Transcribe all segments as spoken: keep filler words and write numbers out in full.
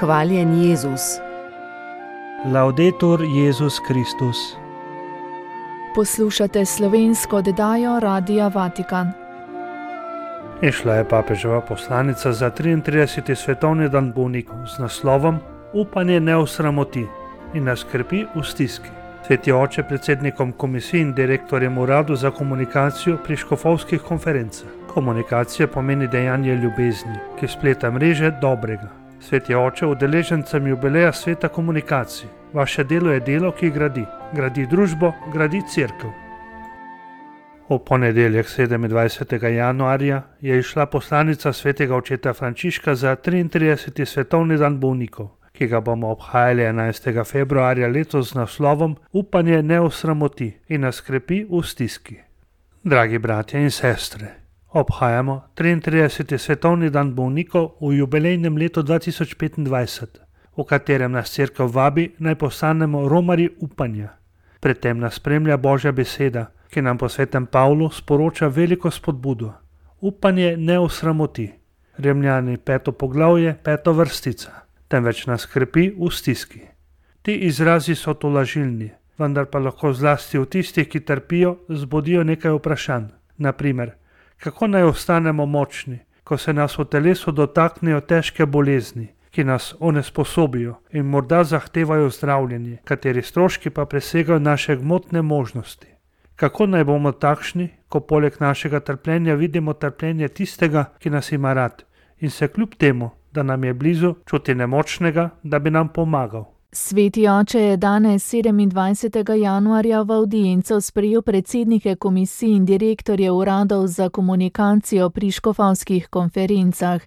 Hvaljen Jezus. Laudetur Jezus Kristus. Poslušate slovensko oddajo Radia Vatikan. Išla je papeževa poslanica za triintrideseti svetovni dan bolnikov z naslovom Upanje ne osramoti in nas skrbi v stiski. Sveti oče predsednikom komisij in direktorjem uradu za komunikacijo pri škofovskih konferencah. Komunikacija pomeni dejanje ljubezni, ki spleta mreže dobrega. Sveti oče, udeležencem jubileja sveta komunikacij. Vaše delo je delo, ki gradi. Gradi družbo, gradi cerkev. V ponedeljek sedemindvajsetega januarja je išla poslanica svetega očeta Frančiška za triintrideseti svetovni dan bolnikov, ki ga bomo obhajali enajstega februarja letos z naslovom Upanje ne osramoti in nas krepi v stiski. Dragi bratje in sestre, obhajamo triintrideseti svetovni dan bolnikov v jubilejnem letu dva tisoč petindvajset, v katerem nas cerkev vabi naj postanemo romarji upanja. Pred tem nas spremlja Božja beseda, ki nam po svetem Pavlu sporoča veliko spodbudo. Upanje ne osramoti. Rimljani peto poglavje, peto vrstica. Temveč nas krepi v stiski. Ti izrazi so tolažilni, vendar pa lahko zlasti v tistih, ki trpijo, zbudijo nekaj vprašanj. Naprimer, kako naj ostanemo močni, ko se nas v telesu dotaknejo težke bolezni, ki nas onesposobijo in morda zahtevajo zdravljenje, kateri stroški pa presegajo naše gmotne možnosti. Kako naj bomo takšni, ko poleg našega trpljenja vidimo trpljenje tistega, ki nas ima rad in se kljub temu, da nam je blizu, čuti nemočnega, da bi nam pomagal. Sveti oče je danes sedemindvajsetega januarja v avdienco sprejel predsednike komisij in direktorjev uradov za komunikacijo pri škofovskih konferencah.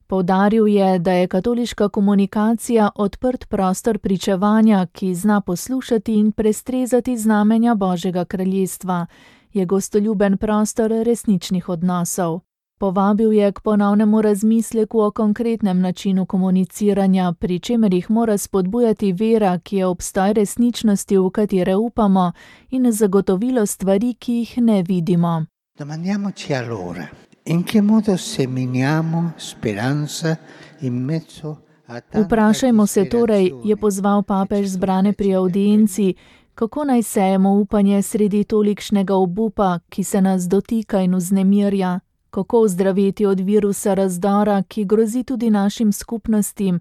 Poudaril je, da je katoliška komunikacija odprt prostor pričevanja, ki zna poslušati in prestrezati znamenja Božjega kraljestva. Je gostoljuben prostor resničnih odnosov. Povabil je k ponovnemu razmisleku o konkretnem načinu komuniciranja, pri čemer jih mora spodbujati vera, ki je obstoj resničnosti, v katere upamo, in zagotovilo stvari, ki jih ne vidimo. Domandiamoci allora, in che modo seminiamo speranza in mezzo a tanta Vprašajmo se torej, je pozval papež zbrane pri avdienci, kako naj sejemo upanje sredi tolikšnega obupa, ki se nas dotika in vznemirja. Kako ozdraveti od virusa razdora, ki grozi tudi našim skupnostim,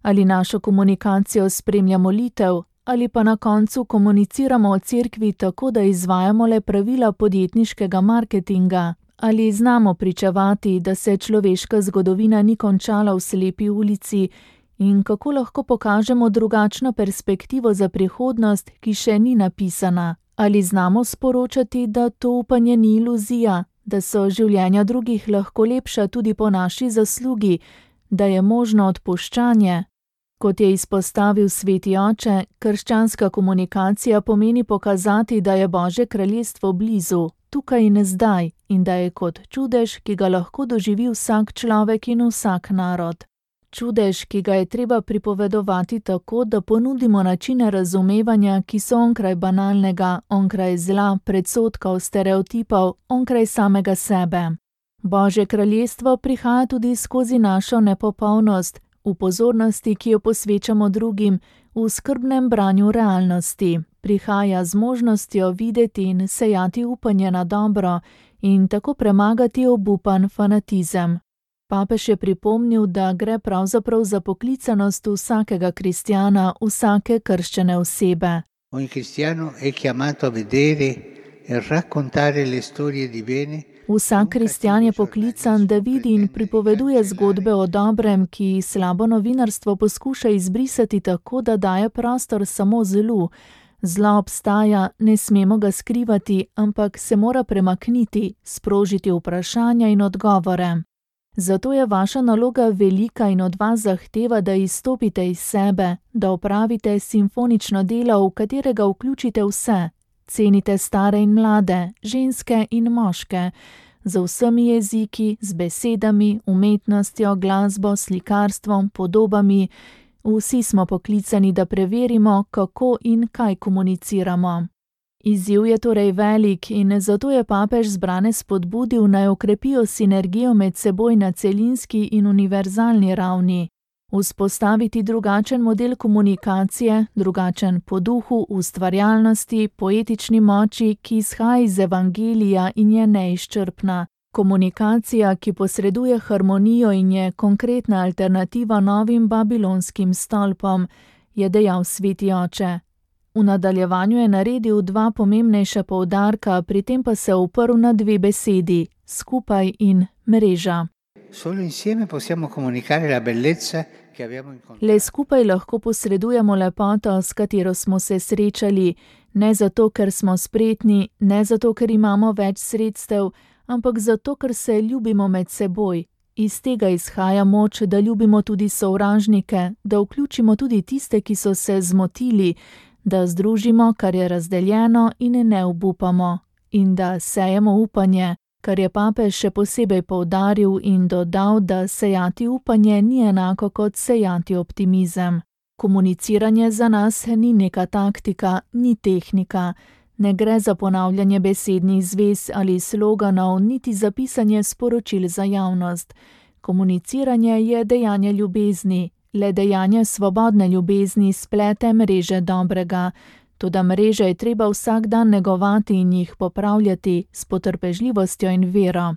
ali našo komunikacijo spremlja molitev, ali pa na koncu komuniciramo o cerkvi tako, da izvajamo le pravila podjetniškega marketinga, ali znamo pričevati, da se človeška zgodovina ni končala v slepi ulici in kako lahko pokažemo drugačno perspektivo za prihodnost, ki še ni napisana, ali znamo sporočati, da to upanje ni iluzija, da so življenja drugih lahko lepša tudi po naši zaslugi, da je možno odpuščanje. Kot je izpostavil sveti oče, krščanska komunikacija pomeni pokazati, da je Božje kraljestvo blizu, tukaj in zdaj, in da je kot čudež, ki ga lahko doživi vsak človek in vsak narod. Čudež, ki ga je treba pripovedovati tako, da ponudimo načine razumevanja, ki so onkraj banalnega, onkraj zla, predsodkov, stereotipov, onkraj samega sebe. Božje kraljestvo prihaja tudi skozi našo nepopolnost, v pozornosti, ki jo posvečamo drugim, v skrbnem branju realnosti. Prihaja z možnostjo videti in sejati upanje na dobro in tako premagati obupan fanatizem. Papež je pripomnil, da gre pravzaprav za poklicanost vsakega kristjana, vsake krščene osebe. Ogni cristiano è chiamato a vedere e raccontare le storie di bene. Vsak kristjan je poklican, da vidi in pripoveduje zgodbe o dobrem, ki slabo novinarstvo poskuša izbrisati tako, da daje prostor samo zlu. Zlo obstaja, ne smemo ga skrivati, ampak se mora premakniti, sprožiti vprašanja in odgovore. Zato je vaša naloga velika in od vas zahteva, da izstopite iz sebe, da opravite simfonično delo, v katerega vključite vse. Cenite stare in mlade, ženske in moške, z vsemi jeziki, z besedami, umetnostjo, glasbo, slikarstvom, podobami. Vsi smo poklicani, da preverimo, kako in kaj komuniciramo. Izziv je torej velik in zato je papež zbrane spodbudil, naj okrepijo sinergijo med seboj na celinski in univerzalni ravni. Vzpostaviti drugačen model komunikacije, drugačen po duhu, ustvarjalnosti, poetični moči, ki izhaja iz evangelija in je neizčrpna. Komunikacija, ki posreduje harmonijo in je konkretna alternativa novim babilonskim stolpom, je dejal sveti oče. V nadaljevanju je naredil dva pomembnejša poudarka, pri tem pa se oprl na dve besedi, skupaj in mreža. Le skupaj lahko posredujemo lepoto, s katero smo se srečali, ne zato, ker smo spretni, ne zato, ker imamo več sredstev, ampak zato, ker se ljubimo med seboj. Iz tega izhaja moč, da ljubimo tudi sovražnike, da vključimo tudi tiste, ki so se zmotili, da združimo, kar je razdeljeno in ne obupamo, in da sejemo upanje, kar je papež še posebej poudaril in dodal, da sejati upanje ni enako kot sejati optimizem. Komuniciranje za nas ni neka taktika, ni tehnika. Ne gre za ponavljanje besednih zvez ali sloganov, niti za pisanje sporočil za javnost. Komuniciranje je dejanje ljubezni, le dejanje svobodne ljubezni splete mreže dobrega. Toda mreže je treba vsak dan negovati in jih popravljati s potrpežljivostjo in vero.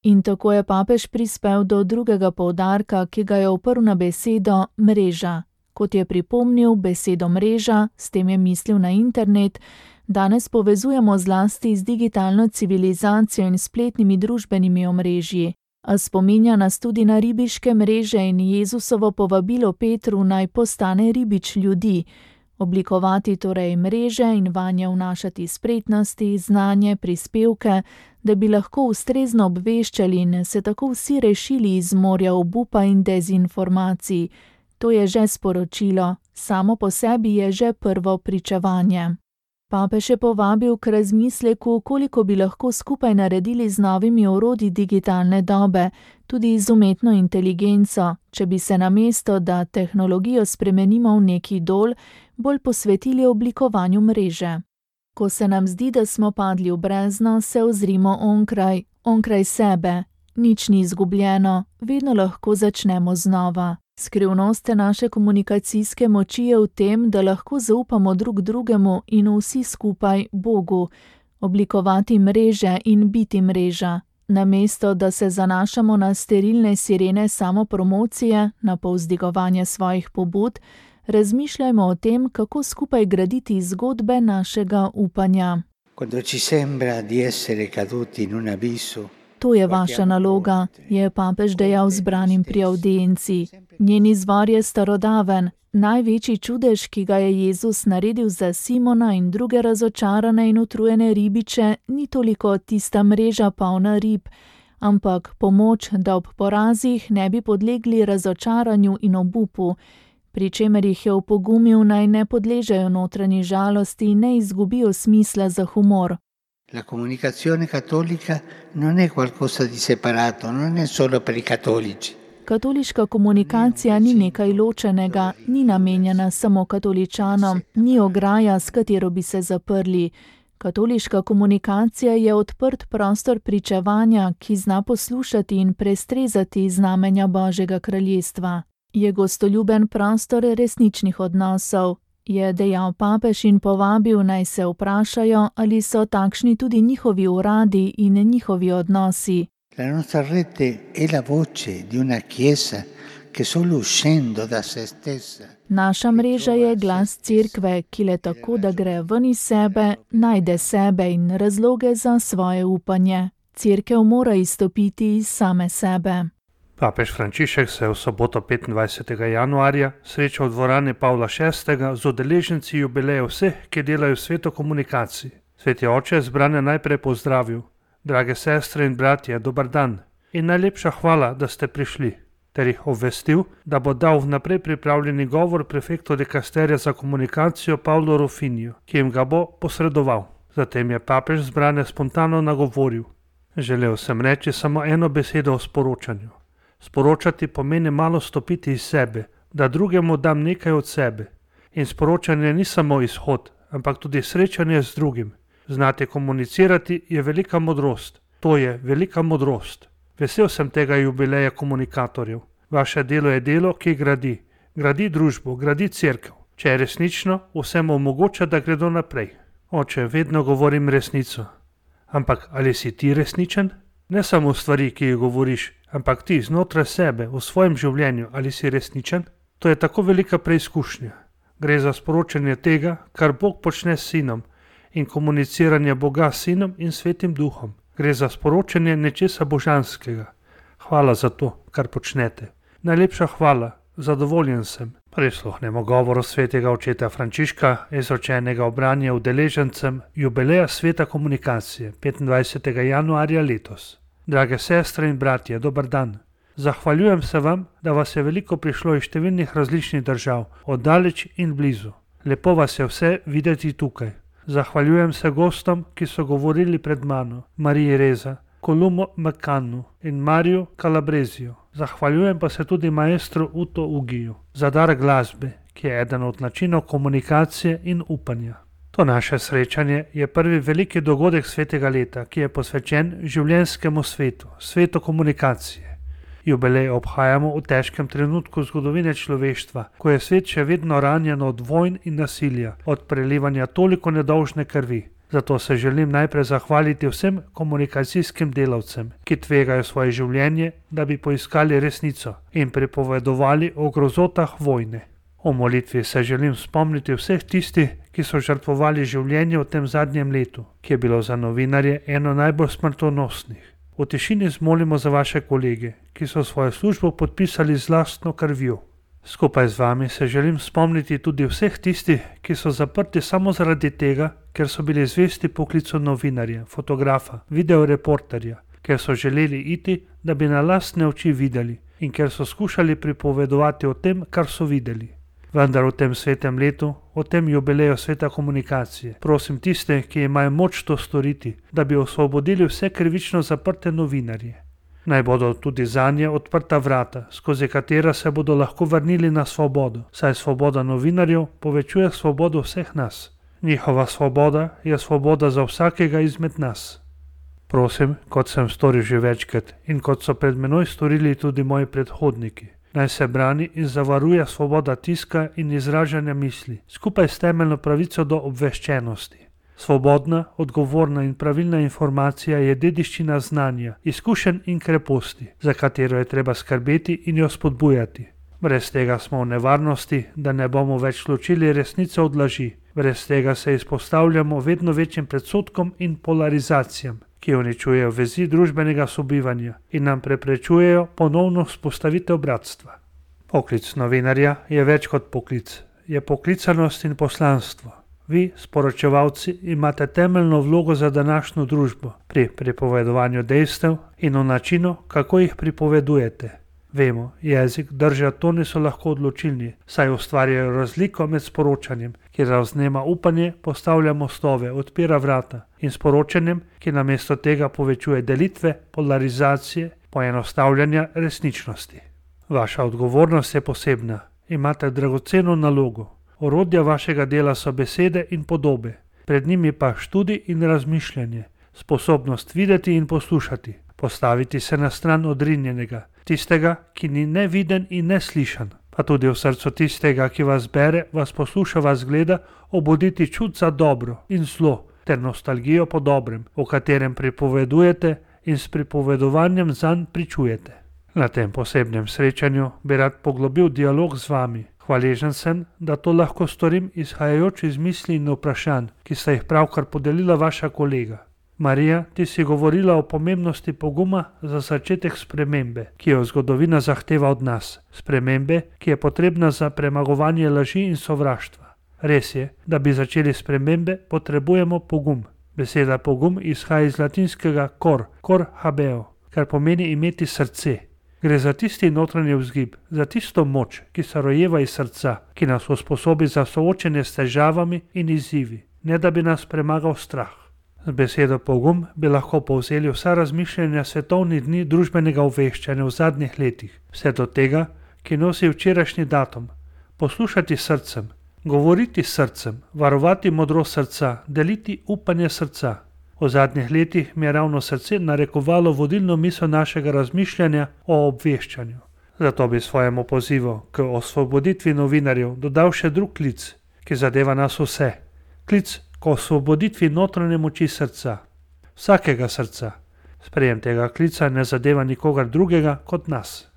In tako je papež prispel do drugega poudarka, ki ga je oprl na besedo mreža. Kot je pripomnil, besedo mreža, s tem je mislil na internet, danes povezujemo zlasti z digitalno civilizacijo in spletnimi družbenimi omrežji. A spominja nas tudi na ribiške mreže in Jezusovo povabilo Petru naj postane ribič ljudi. Oblikovati torej mreže in vanje vnašati spretnosti, znanje, prispevke, da bi lahko ustrezno obveščali in se tako vsi rešili iz morja obupa in dezinformacij. To je že sporočilo, samo po sebi je že prvo pričevanje. Papež je povabil k razmisleku, koliko bi lahko skupaj naredili z novimi orodji digitalne dobe, tudi z umetno inteligenco, če bi se namesto, da tehnologijo spremenimo v neki dol, bolj posvetili oblikovanju mreže. Ko se nam zdi, da smo padli v brezno, se ozrimo onkraj, onkraj sebe. Nič ni izgubljeno, vedno lahko začnemo znova. Skrivnost naše komunikacijske moči je v tem, da lahko zaupamo drug drugemu in vsi skupaj Bogu, oblikovati mreže in biti mreža. Namesto, da se zanašamo na sterilne sirene samopromocije, na povzdigovanje svojih pobud, razmišljajmo o tem, kako skupaj graditi zgodbe našega upanja. Quando ci sembra di essere caduti in un abisso, To je vaša naloga, je papež dejal zbranim pri audienci. Njen izvor je starodaven. Največji čudež, ki ga je Jezus naredil za Simona in druge razočarane in utrujene ribiče, ni toliko tista mreža polna rib, ampak pomoč, da ob porazih ne bi podlegli razočaranju in obupu, pri čemer jih je opogumil, naj ne podležejo notranji žalosti in ne izgubijo smisla za humor. La comunicazione cattolica non è qualcosa di separato, non è solo per i cattolici. Katoliška komunikacija ni nekaj ločenega, ni namenjena samo katoličanom, ni ograja, s katero bi se zaprli. Katoliška komunikacija je odprt prostor pričevanja, ki zna poslušati in prestrezati znamenja Božjega kraljestva. Je gostoljuben prostor resničnih odnosov. Je dejal papež in povabil, naj se vprašajo, ali so takšni tudi njihovi uradi in njihovi odnosi. La nostra rete è la voce di una chiesa che solo uscendo da se stessa. Naša mreža je glas cerkve, ki le tako, da gre ven iz sebe, najde sebe in razloge za svoje upanje. Cerkev mora izstopiti iz same sebe. Papež Frančišek se je v soboto petindvajsetega januarja srečal v dvorani Pavla šestega z udeleženci jubileja vseh, ki delajo v svetu komunikaciji. Sveti oče je zbrane najprej pozdravil. Drage sestre in bratje, dober dan in najlepša hvala, da ste prišli, ter jih obvestil, da bo dal vnaprej pripravljeni govor prefektu dikasterija za komunikacijo Pavlu Rufiniju, ki jim ga bo posredoval. Zatem je papež zbrane spontano nagovoril. Želel sem reči samo eno besedo o sporočanju. Sporočati pomeni malo stopiti iz sebe, da drugemu dam nekaj od sebe. In sporočanje ni samo izhod, ampak tudi srečanje z drugim. Znati komunicirati je velika modrost. To je velika modrost. Vesel sem tega jubileja komunikatorjev. Vaše delo je delo, ki gradi. gradi družbo, gradi cerkev. Če je resnično, vsem omogoča, da gredo naprej. Oče, vedno govorim resnico. Ampak ali si ti resničen? Ne samo stvari, ki jih govoriš, ampak ti znotraj sebe, v svojem življenju, ali si resničen? To je tako velika preizkušnja. Gre za sporočanje tega, kar Bog počne s sinom in komuniciranje Boga s sinom in svetim duhom. Gre za sporočanje nečesa božanskega. Hvala za to, kar počnete. Najlepša hvala, zadovoljen sem. Prisluhnemo govoru svetega očeta Frančiška, izročenega v branje udeležencem jubileja sveta komunikacije petindvajsetega januarja letos. Drage sestre in bratje, dober dan. Zahvaljujem se vam, da vas je veliko prišlo iz številnih različnih držav, od daleč in blizu. Lepo vas je vse videti tukaj. Zahvaljujem se gostom, ki so govorili pred mano, Mariji Reza, Kolumo Mekanu in Mariju Kalabrezijo. Zahvaljujem pa se tudi maestru Uto Ugiju za dar glasbe, ki je eden od načinov komunikacije in upanja. To naše srečanje je prvi veliki dogodek svetega leta, ki je posvečen življenjskemu svetu, svetu komunikacije. Jubilej obhajamo v težkem trenutku zgodovine človeštva, ko je svet še vedno ranjen od vojn in nasilja, od prelivanja toliko nedolžne krvi. Zato se želim najprej zahvaliti vsem komunikacijskim delavcem, ki tvegajo svoje življenje, da bi poiskali resnico in pripovedovali o grozotah vojne. O molitvi se želim spomniti vseh tistih, ki so žrtvovali življenje v tem zadnjem letu, ki je bilo za novinarje eno najbolj smrtonosnih. V tišini zmolimo za vaše kolege, ki so svojo službo podpisali z lastno krvjo. Skupaj z vami se želim spomniti tudi vseh tistih, ki so zaprti samo zaradi tega, ker so bili zvesti poklicu novinarja, fotografa, videoreporterja, ker so želeli iti, da bi na lastne oči videli in ker so skušali pripovedovati o tem, kar so videli. Vendar v tem svetem letu, v tem jubileju sveta komunikacije, prosim tiste, ki imajo moč to storiti, da bi osvobodili vse krivično zaprte novinarje. Naj bodo tudi zanje odprta vrata, skozi katera se bodo lahko vrnili na svobodo, saj svoboda novinarjev povečuje svobodo vseh nas. Njihova svoboda je svoboda za vsakega izmed nas. Prosim, kot sem storil že večkrat in kot so pred menoj storili tudi moji predhodniki, naj se brani in zavaruje svoboda tiska in izražanja misli, skupaj s temeljno pravico do obveščenosti. Svobodna, odgovorna in pravilna informacija je dediščina znanja, izkušenj in kreposti, za katero je treba skrbeti in jo spodbujati. Brez tega smo v nevarnosti, da ne bomo več ločili resnice od laži. Brez tega se izpostavljamo vedno večjim predsodkom in polarizacijam, ki uničujejo vezi družbenega sobivanja in nam preprečujejo ponovno vzpostavitev bratstva. Poklic novinarja je več kot poklic, je poklicanost in poslanstvo. Vi, sporočevalci, imate temeljno vlogo za današnjo družbo pri pripovedovanju dejstev in o načinu, kako jih pripovedujete. Vemo, jezik, drža, toni so lahko odločilni, saj ustvarjajo razliko med sporočanjem, ki razvnema upanje, postavlja mostove, odpira vrata, in sporočanjem, ki namesto tega povečuje delitve, polarizacije, poenostavljanja resničnosti. Vaša odgovornost je posebna. Imate dragoceno nalogo. Orodja vašega dela so besede in podobe, pred njimi pa študij in razmišljanje, sposobnost videti in poslušati, postaviti se na stran odrinjenega, tistega, ki ni neviden in neslišan, pa tudi v srcu tistega, ki vas bere, vas posluša, vas gleda, obuditi čut za dobro in zlo ter nostalgijo po dobrem, o katerem pripovedujete in s pripovedovanjem zanj pričujete. Na tem posebnem srečanju bi rad poglobil dialog z vami. Hvaležen sem, da to lahko storim izhajajoč iz misli in vprašanj, ki sta jih pravkar podelila vaša kolega. Marija, ti si govorila o pomembnosti poguma za začetek spremembe, ki jo zgodovina zahteva od nas. Spremembe, ki je potrebna za premagovanje laži in sovraštva. Res je, da bi začeli spremembe, potrebujemo pogum. Beseda pogum izhaja iz latinskega cor, cor habeo, kar pomeni imeti srce. Gre za tisti notranji vzgib, za tisto moč, ki se rojeva iz srca, ki nas usposobi za soočenje s težavami in izzivi, ne da bi nas premagal strah. Z besedo pogum bi lahko povzeli vsa razmišljanja svetovnih dni družbenega obveščanja v zadnjih letih, vse do tega, ki nosi včerajšnji datum. Poslušati srcem, govoriti srcem, varovati modrost srca, deliti upanje srca. V zadnjih letih mi je ravno srce narekovalo vodilno misel našega razmišljanja o obveščanju. Zato bi svojemu pozivu k osvoboditvi novinarjev dodal še drug klic, ki zadeva nas vse. Klic k osvoboditvi notranje moči srca, vsakega srca. Sprejem tega klica ne zadeva nikogar drugega kot nas.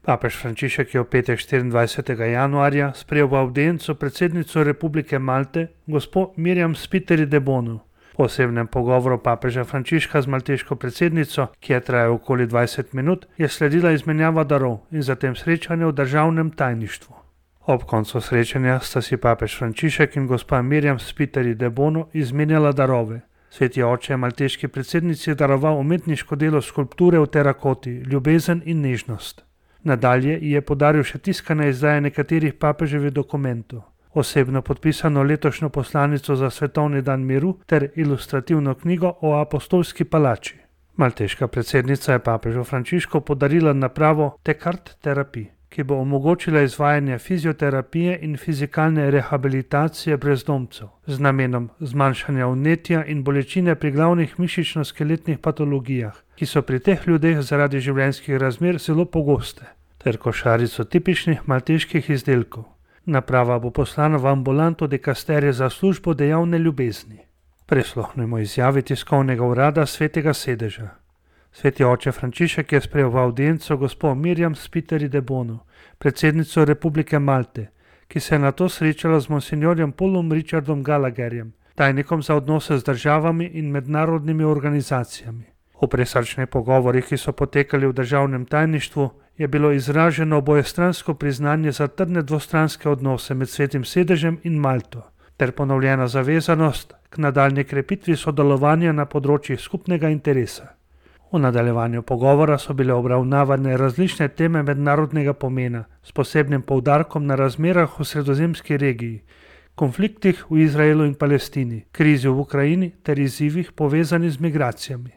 Papež Frančišek je v petek štiriindvajsetega januarja sprejel v avdienco predsednico Republike Malte, gospo Mirjam Spiteri de Bono. Po osebnem pogovoru papeža Frančiška z malteško predsednico, ki je trajal okoli dvajset minut, je sledila izmenjava darov in zatem srečanje v državnem tajništvu. Ob koncu srečanja sta si papež Frančišek in gospa Mirjam Spiteri de Bono izmenjala darove. Sveti oče je malteški predsednici daroval umetniško delo skulpture v terakoti, ljubezen in nežnost. Nadalje ji je podaril še tiskane izdaje nekaterih papeževih dokumentov, osebno podpisano letošnjo poslanico za svetovni dan miru ter ilustrativno knjigo o apostolski palači. Malteška predsednica je papežu Frančišku podarila napravo Tekart terapij, ki bo omogočila izvajanje fizioterapije in fizikalne rehabilitacije brezdomcev z namenom zmanjšanja vnetja in bolečine pri glavnih mišično-skeletnih patologijah, ki so pri teh ljudeh zaradi življenjskih razmer zelo pogoste, ter košarico tipičnih malteških izdelkov. Naprava bo poslana v ambulanto dikasterije za službo dejavne ljubezni. Prisluhnimo izjavi tiskovnega urada Svetega sedeža. Sveti oče Frančišek je sprejel v avdienco gospo Mirjam Spiteri de Bono, predsednico Republike Malte, ki se je nato srečala z monsinjorjem Paulom Richardom Gallagherjem, tajnikom za odnose z državami in mednarodnimi organizacijami. V presrčnih pogovorih, ki so potekali v državnem tajništvu, je bilo izraženo obojestransko priznanje za trdne dvostranske odnose med Svetim sedežem in Malto, ter ponovljena zavezanost k nadaljnji krepitvi sodelovanja na področjih skupnega interesa. V nadaljevanju pogovora so bile obravnavane različne teme mednarodnega pomena s posebnim poudarkom na razmerah v sredozemski regiji, konfliktih v Izraelu in Palestini, krizi v Ukrajini ter izzivih povezanih z migracijami.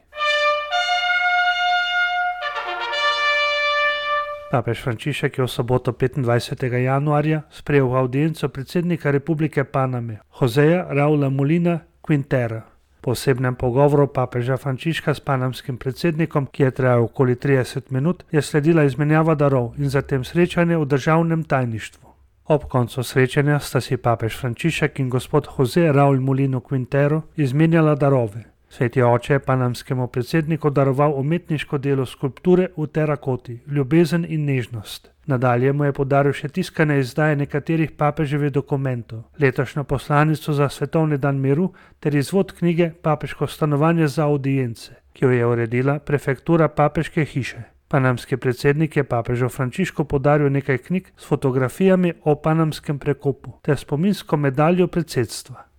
Papež Frančišek je v soboto petindvajsetega januarja sprejel v avdienco predsednika Republike Paname, Joseja Raula Molina Quintera. Po osebnem pogovoru papeža Frančiška s panamskim predsednikom, ki je trajal okoli trideset minut, je sledila izmenjava darov in zatem srečanje v državnem tajništvu. Ob koncu srečanja sta si papež Frančišek in gospod Jose Raul Molino Quintero izmenjala darove. Sveti oče je panamskemu predsedniku daroval umetniško delo skulpture v terakoti, ljubezen in nežnost. Nadalje mu je podaril še tiskane izdaje nekaterih papeževih dokumentov, letošnjo poslanico za svetovni dan miru ter izvod knjige Papeško stanovanje za avdience, ki jo je uredila prefektura papeške hiše. Panamski predsednik je papežu Frančišku podaril nekaj knjig s fotografijami o panamskem prekopu ter spominsko medaljo predsedstva.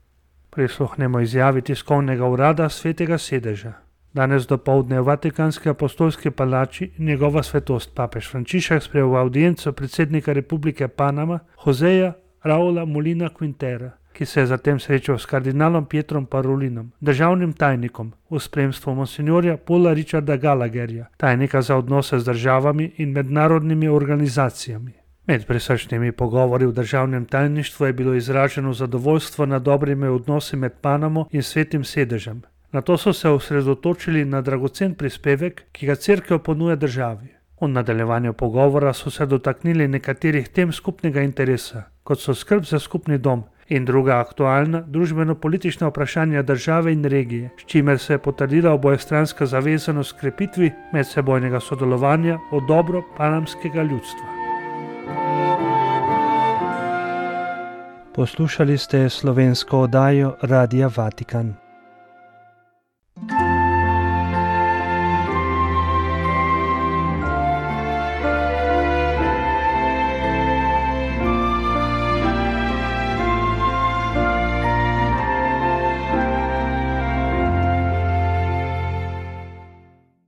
Prisluhnemo izjavi tiskovnega urada Svetega sedeža. Danes dopoldne v Vatikanski apostolski palači njegova svetost papež Frančišek sprejel v avdienco predsednika Republike Panama Joseja Raula Molina Quintera, ki se je zatem srečal s kardinalom Pietrom Parolinom, državnim tajnikom, v spremstvu monsinjorja Paula Richarda Gallagherja, tajnika za odnose z državami in mednarodnimi organizacijami. Med prisrčnimi pogovori v državnem tajništvu je bilo izraženo zadovoljstvo nad dobrimi odnosi med Panamo in Svetim sedežem. Nato so se osredotočili na dragocen prispevek, ki ga cerkev ponuja državi. V nadaljevanju pogovora so se dotaknili nekaterih tem skupnega interesa, kot so skrb za skupni dom in druga aktualna družbeno-politična vprašanja države in regije, s čimer se je potrdila obojestranska zavezanost krepitvi medsebojnega sodelovanja v dobro panamskega ljudstva. Poslušali ste slovensko oddajo Radia Vatikan.